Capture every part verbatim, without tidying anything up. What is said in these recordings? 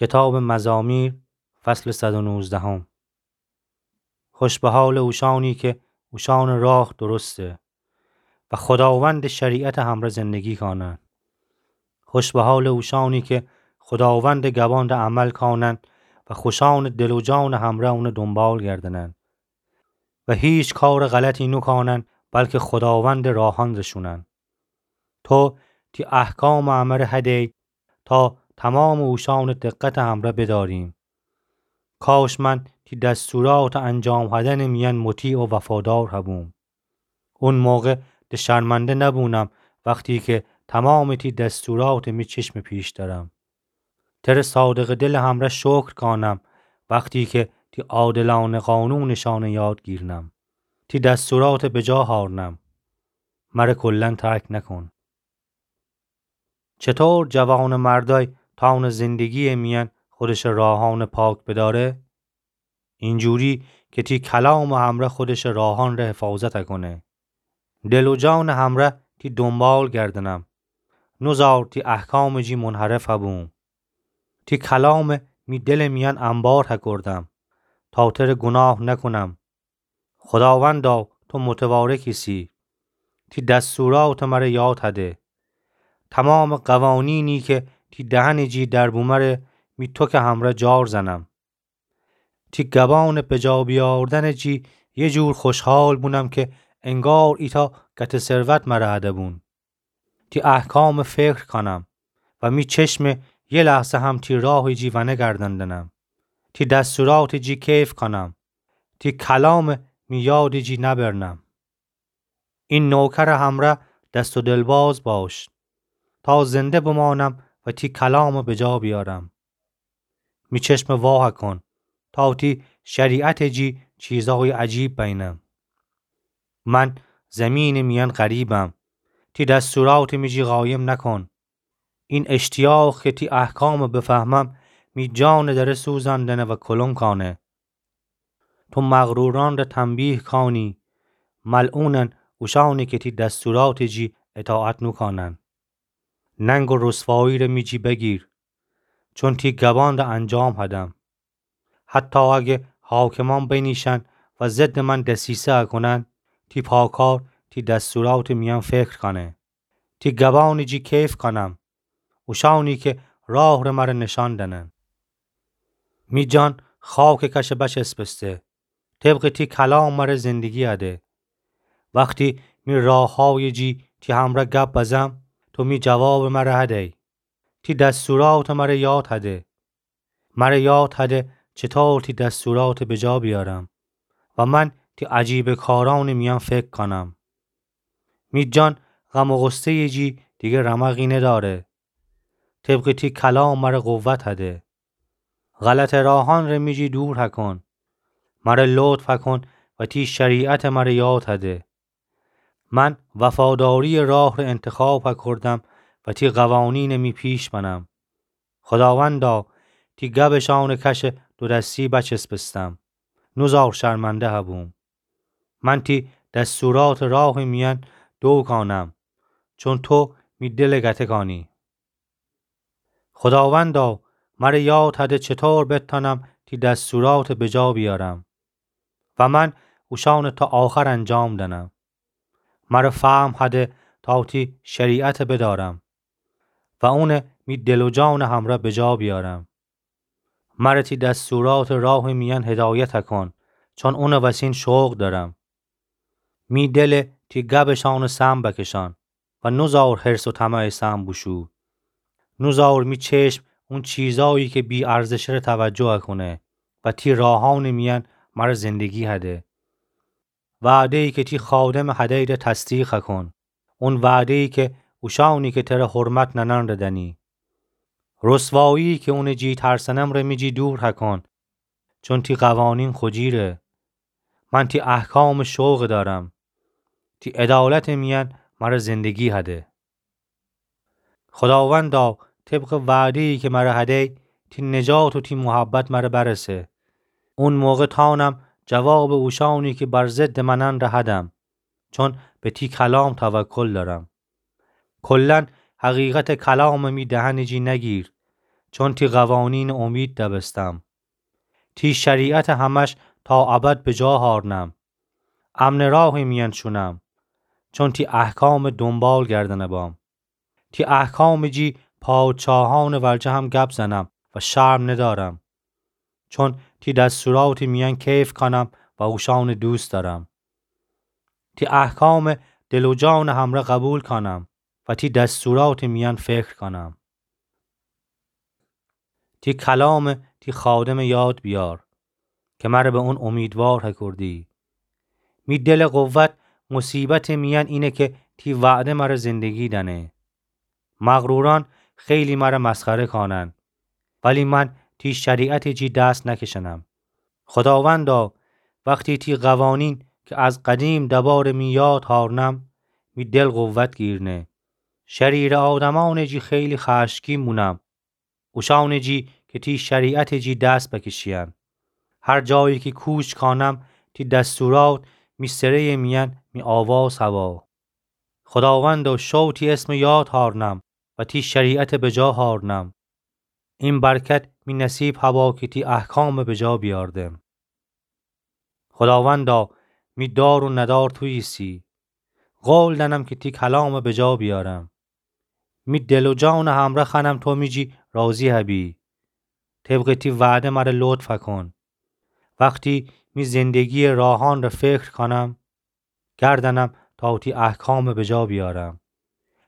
کتابٚ مزامیر، فصلٚ صد و نوزدهم. خوش به حالٚ اوشأنی که اوشأنٚ راه درسته و خوداوندٚ شریعتٚ همرأ زندگی کانن. خوش به حالٚ اوشأنی که خوداوندٚ گبان ره عمل کانن و خوشأنٚ دل و جانٚ همرأ اونٚ دونبال گردنن و هیچ کارٚ غلطی نوکانن، بلکه خوداوندٚ راهأن ره شونن. تو تی احکامٚ امرأ هدی تا تومامٚ اوشأنٚ دقتٚ همرأ بدأریم. کاش من تی دستوراتٚ انجام هدنٚ میأن مطیع و وفادار هبوم. اون موقع د شرمنده نبونم، وختی که تومامٚ تی دستوراتٚ می چشمٚ پیش دأرم. تره صادقٚ دلٚ همرأ شکر کانم، وختی که تی عادلأنه قانونٚ شأنه یاد گیرنم. تی دستوراتٚ بجا هأرنم. مره کلاً ترک نکن. چطور جوانٚ مردأی تأونه زندگی‌یٚ میأن خودشٚ راهأنٚ پاک بدأره؟ اینجوری که تی کلامٚ همرأ خودشٚ راهأن ره حفاظت کنه. دل و جانٚ همرأ تی دونبال گردنم. نوزار تی احکامٚ جی منحرف هبوم. تی کلام می دلٚ میأن انبار هکردم تا تره گوناه نکنم. خوداوندا، تو متبارک ایسی. تی دستوراتٚ مره یاد هده. تومامٚ قوانینی که تی دهنٚ جی در بومه ره می توکٚ همرأ جار زنم. تی گبانٚ بجا بیاوردنٚ جی یه جور خوشحال بونم که انگار ایتأ گته ثروت مره هده بون. تی احکامٚ فکر کانم و می چشمٚ یه لحظه هم تی راهٚ جی ونگردندنم. تی دستوراتٚ جی کیف کانم. تی کلامٚ می یادٚ جی نبرنم. این نوکرٚ همرأ دست و دلباز باش تا زنده بمانم و تی کلامٚ بجا بیأرم. می چشمٚ واه کن تا تی شریعتٚ جی چیزأیٚ عجیب بینم. من زمینٚ میأن غریبم. تی دستوراتٚ می جی قایم نکن. این اشتیاق که تی احکامٚ بفهمم، می جانٚ دره سوزندنه و کلنگ کانه. تو مغرورأن ره تنبیه کانی، ملعونن اوشأنی که تی دستوراتٚ جی اطاعت نوکانن. ننگ و رسوایی ره می جی بگیر، چون تی گبان ره انجام هدم. حتی اگه حاکمأن بینیشن و ضدٚ من دسیسه اکنن، تی پاکار تی دستوراتٚ میأن فکر کانه. تی گبانٚ جی کیف کانم، اوشأنی که راه ره مره نشان دنن. می جان خاکٚ کشه بچسبسته، طبقٚ تی کلام مره زندگی هده. وختی می راهأیٚ جی تی همرأ گپ بزم، تو می جوابٚ مره هدی. تی دستوراتٚ مره یاد هده. مره یاد هده چطور تی دستوراتٚ بجا بیأرم و من تی عجیبٚ کارأنٚ میأن فکر کانم. می جان غم و غصه‌یٚ جی دیگه رمقی ندأره. طبقٚ تی کلام مره قوت هده. غلطٚ راهأن ره می جی دور هکن. مره لطف هکن و تی شریعتٚ مره یاد هده. من وفاداریٚ راه ره انتخاب هکردم و تی قوانینٚ می پیش بنم. خوداوندا، تی گبٚ شأنٚ کشه دو دستی بچسبستم. نوزار شرمنده هبوم. من تی دستوراتٚ راهٚ میأن دوکانم، چون تو می دلٚ گته کانی. خوداوندا، مره یاد هده چطور بتأنم تی دستوراتٚ بجا بیأرم و من اوشأنٚ تا آخر انجام دنم. مره فهم هده تا تی شریعتٚ بدأرم و اونٚ می دل و جانٚ همرأ بجا بیأرم. مره تی دستوراتٚ راهٚ میأن هدایت کن، چون اونٚ وسین شوق دأرم. می دله تی گبٚ شأنٚ سم بکشأن و نوزار حرص و طمعٚ سم بوشو. نوزار می چشم اون چیزأیی که بی‌ارزشه ره توجه کونه و تی راهأنٚ میأن مره زندگی هده. وعده‌یی که تی خادمٚ هدی ره تصدیق کن. اون وعده‌یی که اوشأنی که تره حرمت ننن ره دنی. رسوایی که اونٚ جی ترسنم ره می جی دور هکن، چون تی قوانین خوجیره. من تی احکامٚ شوق دأرم. تی عدالتٚ میأن مره زندگی هده. خوداوندا، طبقٚ وعده‌یی که مره هدی، تی نجات و تی محبت مره برسه. اون موقع تأنم جوابٚ اوشأنی که بر ضدٚ منن ره هدم، چون به تی کلام توکل دأرم. کلاً حقیقتٚ کلامٚ می دهنٚ جی نگیر، چون تی قوانینٚ امید دبستم. تی شریعتٚ همأش تا ابد بجا هأرنم. امنٚ راهٚ میأن شونم، چون تی احکامٚ دونبال گردنه بام. تی احکامٚ جی پادشاهأنٚ ورجه هم گب زنم و شرم ندأرم. چون تی دستوراتٚ میأن کیف کانم و اوشأنٚ دوست دأرم. تی احکام دل و جانٚ همرأ قبول کانم و تی دستوراتٚ میأن فکر کانم. تی کلام تی خادمٚ یاد بیار، که مر به اون امیدوار هکردی. می دلٚ قوت مصیبتٚ میأن اینه که تی وعده مر زندگی دأنه. مغرورأن خیلی مر مسخره کانن، ولی من تی شریعتٚ جی دست نکشنم. خداوندا، وختی تی قوانین که از قدیم دبارٚ می یاد هارنم، می دل قوت گیرنه. شریرٚ آدمأنٚ جی خیلی خشمگین بونم، اوشأنٚ جی که تی شریعتٚ جی دست بکشیأن. هر جایی که کوچ کانم، تی دستورات می سره‌یٚ میأن می آواز هوا. خداوندا، شو تی اسمٚ یاد هارنم و تی شریعت بجا هارنم. این برکت می نصیب هوا که تی احکام بجا بیاردم. خداوندا، می دار و ندار تو ایسی. قول دأنم که تی کلام بجا بیارم. می دل و جانٚ همرأ خوأنم تو می جی راضی هبی. طبقٚ تی وعده مر لطف هکن. وختی می زندگی‌یٚ راهأنٚ فکر کانم، گردنم تا تی احکام بجا بیارم.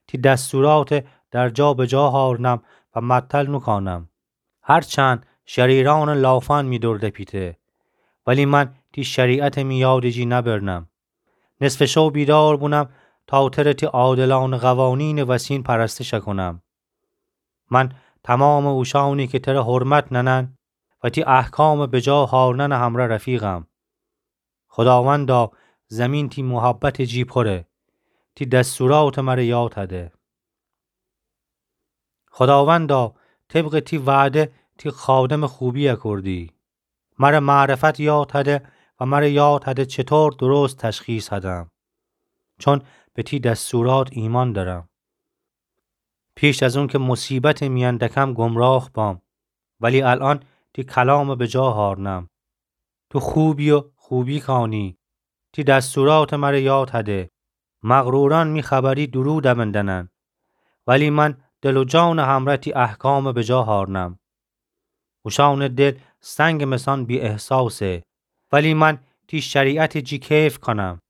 تی دستورات در جا بجا هارنم و معطل نوکانم. هرچند شریرأنٚ لافأن می دور دپیته، ولی من تی شریعتٚ می یادٚ جی نبرنم. نصفٚ شو بیدار بونم تا تره تی عادلأنٚ قوانینٚ وسین پرستش کونم. من تومامٚ اوشأنی که تره حرمت نأنن و تی احکام بجا هارننٚ همرأ رفیقم. خداوندا، زمین تی محبتٚ جی پره، تی دستورات مر یاد هده. خداوندا، طبقٚ تی وعده تی خادمٚ خوبی کردی. مر معرفت یاد هده و مر یاد هده چطور درست تشخیص هدم. چون به تی دستورات ایمأن دأرم. پیش از اون که مصیبتٚ میأن دکم گمراه بام، ولی الأن تی کلام بجا هارنم. تو خوبی و خوبی کانی. تی دستورات مر یاد هده. مغرورأن می خبری دورو دبندنن، ولی من دل و جانٚ همرأ تی احکام بجا هارنم. اوشأنٚ دل سنگٚ مثأن بی‌احساسه، ولی من تی شریعتٚ جی کیف کانم.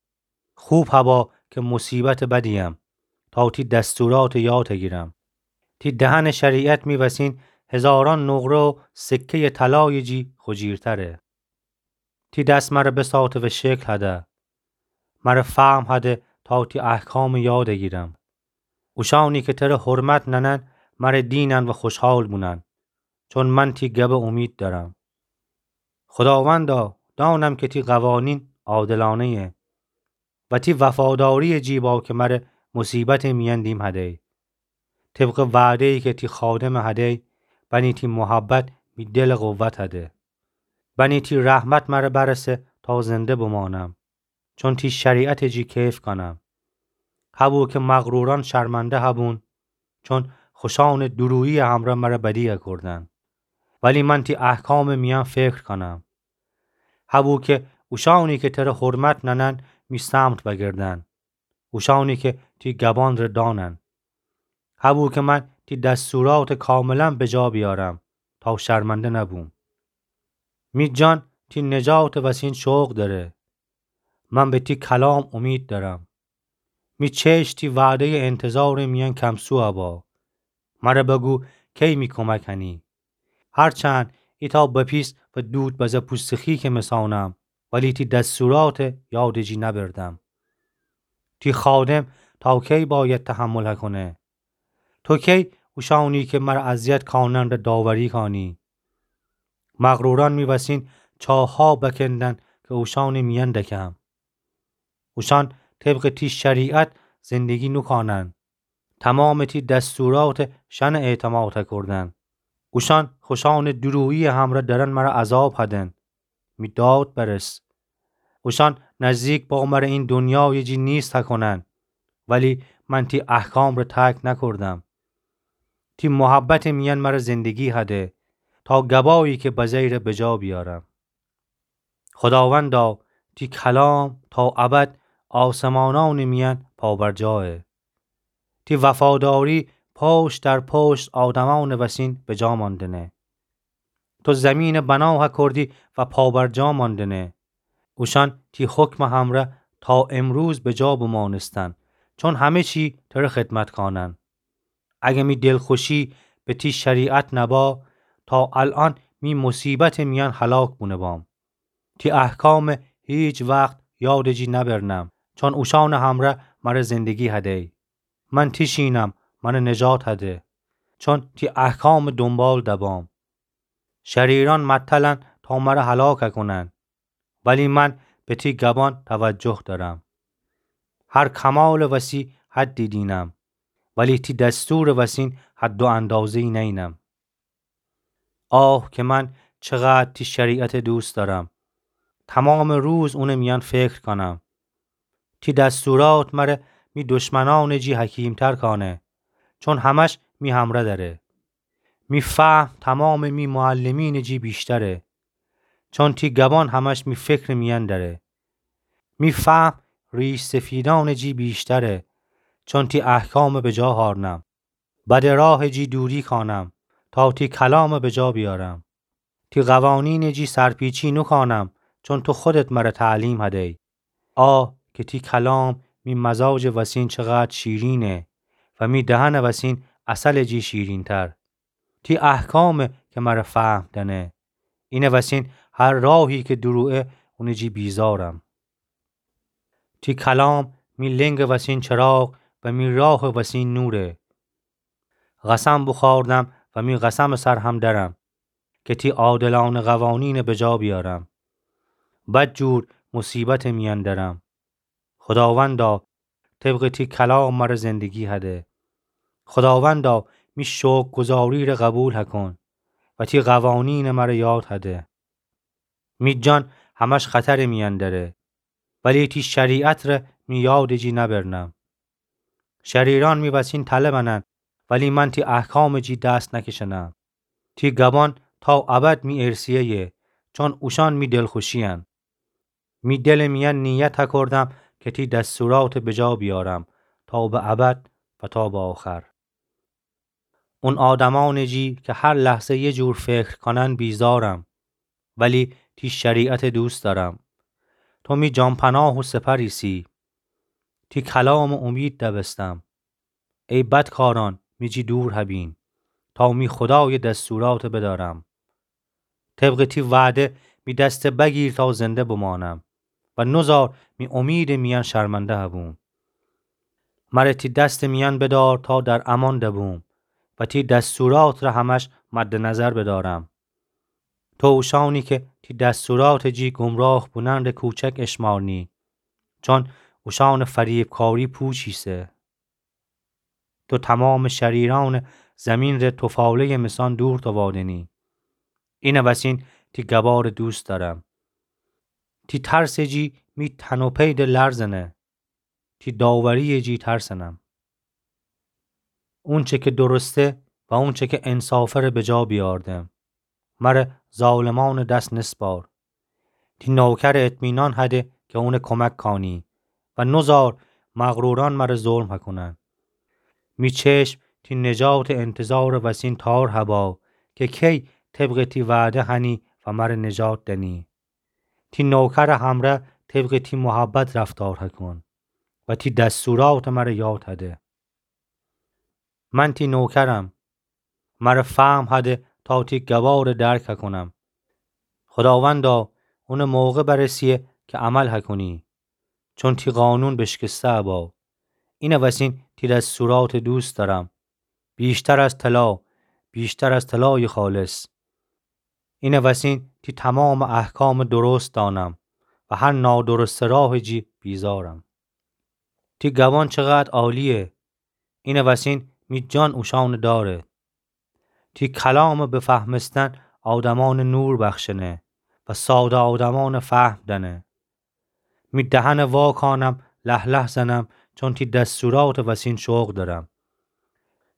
خوب هوا که مصیبتٚ بدیم، تا تی دستورات یاد هگیرم. تی دهنٚ شریعت می وسین هزارأن نقره و سکه‌یٚ طلایٚ جی خوجیرتره. تی دس مر بساته و شکل هده. مر فهم هده تا تی احکام یاد گیرم. اوشأنی که تره حرمت نأنن، مر دینن و خوشحال بونن. چون من تی گب امید دأرم. خداوندا، دانم که تی قوانین عادلأنه‌یه و تی وفاداری‌یٚ جی با که مر مصیبتٚ میأن دیم هدی. طبقٚ وعده‌یی که تی خادم هدی، بنی تی محبت می دلٚ قوت هده. بنی تی رحمت مر برسه تا زنده بمانم. چون تی شریعتٚ جی کیف کانم. هبو که مغرورأن شرمنده هبون، چون خوشأنٚ دورویی‌یٚ همرأ مر بدی کردن. ولی من تی احکامٚ میأن فکر کانم. هبو که اوشأنی که تره حرمت نأنن می سمت وأگردن. اوشأنی که تی گبأن ره دانن. هبو که من تی دستورات کاملا بجا بیارم تا شرمنده نبوم. می جان تی نجاتٚ وسین شوق دأره. من به تی کلام امید دأرم. می چشم تی وعده‌یٚ انتظارٚ میأن کمسو ابا. مر بگو کی می کمک کنی؟ هرچند ایتأ بپیس و دود بزه پوستٚ خیکٚ مثانم، ولی تی دستوراتٚ یادٚ جی نبردم. تی خادم تا کی باید تحمل هکونه؟ تو کی اوشأنی که مر اذیت کانن ره داوری کانی؟ مغرورأن می وسین چاها بکندن که اوشأنٚ میأن دکم. اوشأن طبقٚ تی شریعت زندگی نوکانن. تومامٚ تی دستورات شأن اعتماد هکردن. اوشأن خوشأنٚ دورویی‌یٚ همرأ درن مر عذاب هدن. می داد برس. اوشأن نزدیک با مر این دنیایٚ جی نیست هکونن. ولی من تی احکام ره ترک نکردم. تی محبتٚ میأن مر زندگی هده، تا گبایی که بزه‌یی ره بجا بیارم. خوداوندا، تی کلام تا ابد آسمانأنٚ میأن پابرجایه. تی وفاداری پشت در پشت آدمأنٚ وسین بجا ماندنه. تو زمینٚ بنا هکردی و پابرجا ماندنه. اوشأن تی حکمٚ همره تا امروز بجا بمانستن، چون همه چی تره خدمت کانن. اگه می دلخوشی به تی شریعت نبا، تا الأن می مصیبتٚ میأن هلاک بونه بام. تی احکام هیچ وقت یادٚ جی نبرنم، چون اوشأنٚ همره مر زندگی هدی. من تیشینم، مر نجات هده، چون تی احکامٚ دونبال دبام. شریرأن متلن تا مر هلاک کونن، ولی من به تی گبأن توجه دأرم. هر کمالٚ وسی حدی دینم، ولی تی دستورٚ وسین حد و اندازه‌یی نینم. آه که من چقدر تی شریعت دوست دأرم. تمامٚ روز اونٚ میأن فکر کانم. تی دستورات مر می دشمنأنٚ جی حکیمتر کانه، چون همش می همره دأره. می فهم تمامٚ می معلمینٚ جی بیشتره، چون تی گبأن همش می فکرٚ میأن دأره. می فهم ریش سفیدأنٚ جی بیشتره، چون تی احکام بجا هارنم. بدٚ راهٚ جی دوری کانم، تا تی کلام بجا بیارم. تی قوانینٚ جی سرپیچی نوکانم، چون تو خودت مر تعلیم هدی. آه که تی کلام می مزاجٚ وسین چقدر شیرینه و می دهنٚ وسین عسلٚ جی شیرینتر. تی احکامه که مر فهم دأنه. اینٚ وسین هر راهی که درویه اونٚ جی بیزارم. تی کلام می لنگٚ وسین چراغ و می راهٚ وسین نوره. قسم بوخوردم و می قسمٚ سر هم دأرم که تی عادلأنه قوانین بجا بیارم. بدجور مصیبتٚ میأن دأرم. خوداوندا، طبقٚ تی کلام مر زندگی هده. خوداوندا، می شوکرگزاری ره قبول هکون و تی قوانین مر یاد هده. می جان همش خطرٚ میأن دأره، ولی تی شریعت ره می یادٚ جی نبرنم. شریرأن می وسین تله بنن، ولی من تی احکامٚ جی دست نکشنم. تی گبأن تا ابد می ارثیه‌یه، چون اوشأن می دلخوشی‌ین. می دلٚ میأن نیت هکردم که تی دستورات بجا بیارم، تا به ابد و تا به آخر. اون آدمأنٚ جی که هر لحظه یه جور فکر کانن بیزارم، ولی تی شریعت دوست دأرم. تو می جان‌پناه و سپر ایسی. تی کلام امید دبستم. ای بدکارأن، می جی دور هبین، تا می خودایٚ دستورات بدأرم. طبقٚ تی وعده می دست بگیر تا زنده بمانم و نوزار می امیدٚ میأن شرمنده هبوم. مر تی دستٚ میأن بدار تا در امان دبوم و تی دستورات ره همش مد نظر بدأرم. تو اوشأنی که تی دستوراتٚ جی گمراه بونن ره کوچک اشمارنی، چون اوشأنٚ فریبکاری پوچ ایسه. تو تمامٚ شریرأنٚ زیمین ره توفاله‌یٚ میسان دور تووادنی. اینٚ وسین تی گبارٚ دوست دأرم. تی ترسٚ جی می تن و پی ده لرزنه. تی داوری‌یٚ جی ترسنم. اونچه که درسته و اونچه که انصافه ره بجا بیاردم. مر ظالمأنٚ دس نسپار. تی نوکرٚ اطمینان هده که اونٚ کمک کانی و نوزار مغرورأن مر ظلم هکونن. می چشم تی نجاتٚ انتظارٚ وسین تار هبا که کی طبقٚ تی وعده هنی و مر نجات دنی. تی نوکرٚ همره طبقٚ تی محبت رفتار هکون و تی دستورات مر یاد هده. من تی نوکرم. مر فهم هده تا تی گبارٚ درک هکونم. خوداوندا، اونٚ موقع برسیه که عمل هکونی، چون تی قانون بشکسته ابا. اینٚ وسین تی دستورات دوست دأرم. بیشتر از طلا، بیشتر از طلایٚ خالص. اینٚ وسین تی تمامٚ احکامٚ درست دانم و هر نادرستٚ راهٚ جی بیزارم. تی گبان چقدر عالیه، اینٚ وسین می جان اوشأنٚ داره. تی کلامٚ بفهمستن آدمأنٚ نور بخشنه و ساده آدمأنٚ فهم دأنه. می دهنٚ واکانم، له‌لهه زنم، چون تی دستوراتٚ وسین شوق دأرم.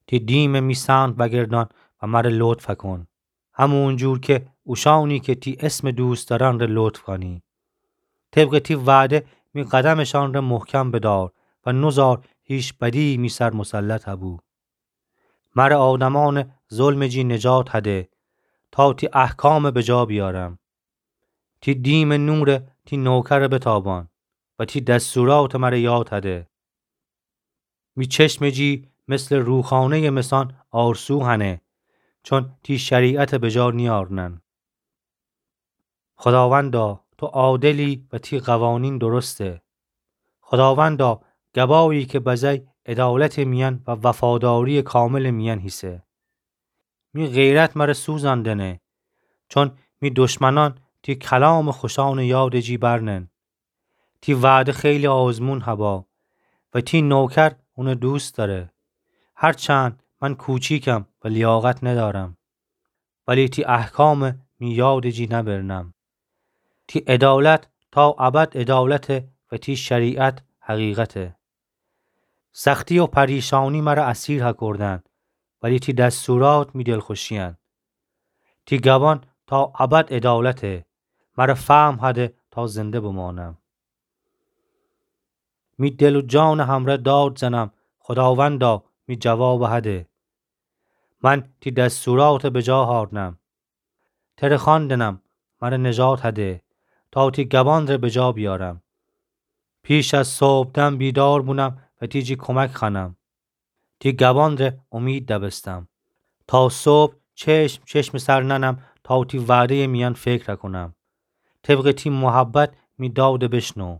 تی دیمه می سمت وأگردأن و مره لطف کون، همون جور که اوشأنی که تی اسمه دوست دأرن ره لطف کونی. طبقٚ تی وعده می قدمٚ شأن ره محکم بدار و نوزار هیچ بدیی می سر مسلط هبو. مره آدمأنٚ ظلمٚ جی نجات هده، تا تی احکامه بجا بیارم. تی دیمٚ نوره تی نوکره بتابأن و تی دستورات مره یاد هده. می چشمٚ جی مثلٚ روخانه‌یٚ مسان آرسو هنه، چون تی شریعته بجا نیأرنن. خوداوندا، تو عادلی و تی قوانین درسته. خوداوندا، گبایی که بزی عدالتٚ میأن و وفاداریٚ کاملٚ میأن هیسه. می غیرت مره سوزأن دنه، چون می دشمنأن تی کلامٚ خوشانٚ یادٚ جی برنن. تی وعده خیلی آزمون هبا و تی نوکر اونه دوست دأره. هرچند من کوچیکم و لیاقت ندأرم، ولی تی احکامه می یادٚ جی نبرنم. تی عدالت تا ابد عدالته و تی شریعت حقیقته. سختی و پریشانی مره اسیر هکردن، ولی تی دستورات می دلخوشی‌ین. تی گبان تا ابد عدالته، مره فهم هده تا زنده بمانم. می دل و جانٚ همرأ داد زنم، خوداوندا، می جوابه هده. من تی دستورات بجا هارنم. تره خواندنم، مره نجات هده، تا تی گبان ره بجا بیارم. پیش از صبحدم بیدار بونم و تی جی کمک خوأنم. تی گبان ره امید دبستم. تا صبح چشم چشمٚ سر نأنم، تا تی وعده‌یٚ میأن فکر کونم. طبقٚ تی محبت می داد بشنو.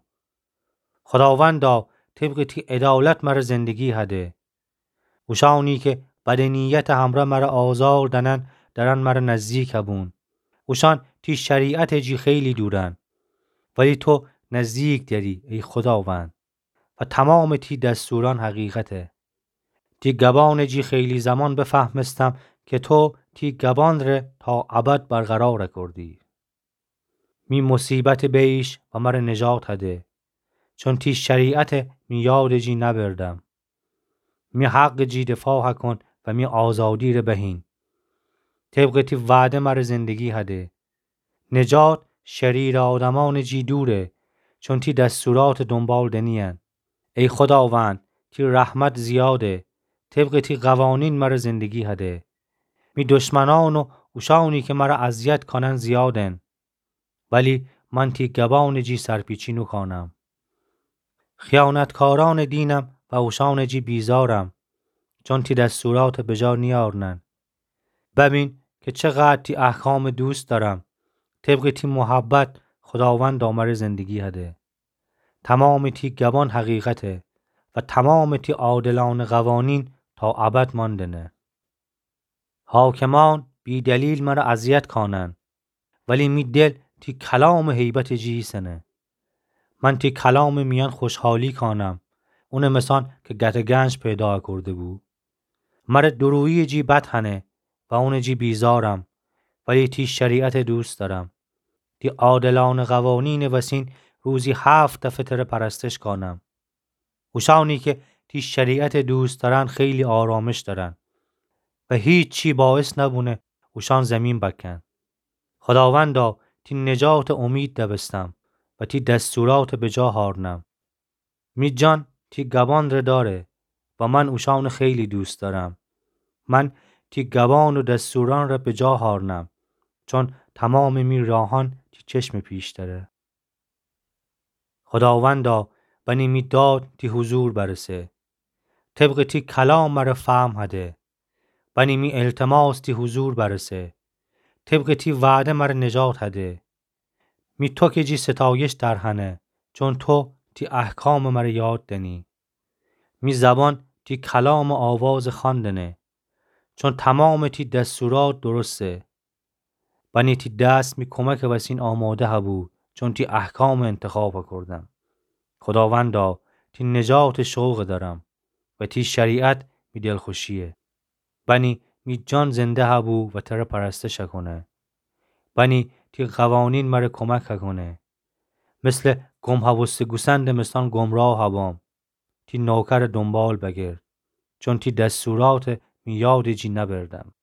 خوداوندا، طبقٚ تی عدالت مره زندگی هده. اوشأنی که بدٚ نیتٚ همرأ مره آزار دأنن، دأرن مره نزدیک هبون. اوشأن تی شریعتٚ جی خیلی دورن، ولی تو نزدیک دأری، ای خوداوند، و تومامٚ تی دستورأن حقیقته. تی گبانٚ جی خیلی زمان بفهمستم که تو تی گبان ره تا ابد برقرار کردی. می مصیبت بیش و مره نجات هده، چون تی شریعته می یادٚ جی نبردم. می حقٚ جی دفاع هکون و می آزادی ره بهین. طبقٚ تی وعده مره زندگی هده. نجات شریرٚ آدمأنٚ جی دوره، چون تی دستورات دنبال دنی‌ین. ای خوداوند، تی رحمت زیاده، طبقٚ تی قوانین مره زندگی هده. می دشمنأن و اوشأنی که مره اذیت کانن زیادن، ولی من تی گبانٚ جی سرپیچی نوکانم. خیانتکارأنٚ دینم و اوشأنٚ جی بیزارم، چون تی دستورات بجا نیأرنن. ببین که چقدر تی احکام دوست دأرم. طبقٚ تی محبت خوداوندا مره زندگی هده. تومامٚ تی گبان حقیقته و تومامٚ تی عادلأنٚ قوانین تا ابد ماندنه. حاکمأن بی‌دلیل مره اذیت کانن، ولی می دل تی کلامٚ هیبتٚ جی ایسنه. من تی کلامٚ میأن خوشحالی کانم، اونٚ مسأن که گتٚ گنج پیدا کرده بو. مره دوروییٚ جی بد هنه و اونٚ جی بیزارم، ولی تی شریعت دوست دأرم. تی عادلأنٚ قوانینٚ وسین روزی هفت دفعه تره پرستش کانم. اوشأنی که تی شریعت دوست دأرن خیلی آرامش دأرن و هیچی باعث نبونه اوشأن زمین بکن. خوداوندا، تی نجات امید دبستم و تی دستورات بجا هارنم. می جان تی گبان ره دأره و من اوشأن خیلی دوست دأرم. من تی گبان و دستورأن ره بجا هارنم، چون تومامٚ می راهأن تی چشمٚ پیش دأره. خوداوندا، بنی می داد تی حضور برسه. طبقٚ تی کلام مره فهم هده. بنی می التماس تی حضور برسه. طبقٚ تی وعده مره نجات هده. می توکٚ جی ستایش در هنه، چون تو تی احکام مره یاد دنی. می زبان تی کلامٚ آواز خواندنه، چون تومامٚ تی دستورات درسته. بنی تی دست می کمکٚ وسین آماده هبو، چون تی احکام انتخاب کردم. خوداوندا، تی نجات شوق دأرم و تی شریعت می دلخوشیه. بنی می جان زنده هبو و تره پرستش کونه. بنی تی قوانین مره کمک کونه. مثلٚ گم هبوسته گوسندٚ مسأن گمراه هبام. تی نوکر دنبال بگرد، چون تی دستورات می یادٚ جی نبردم.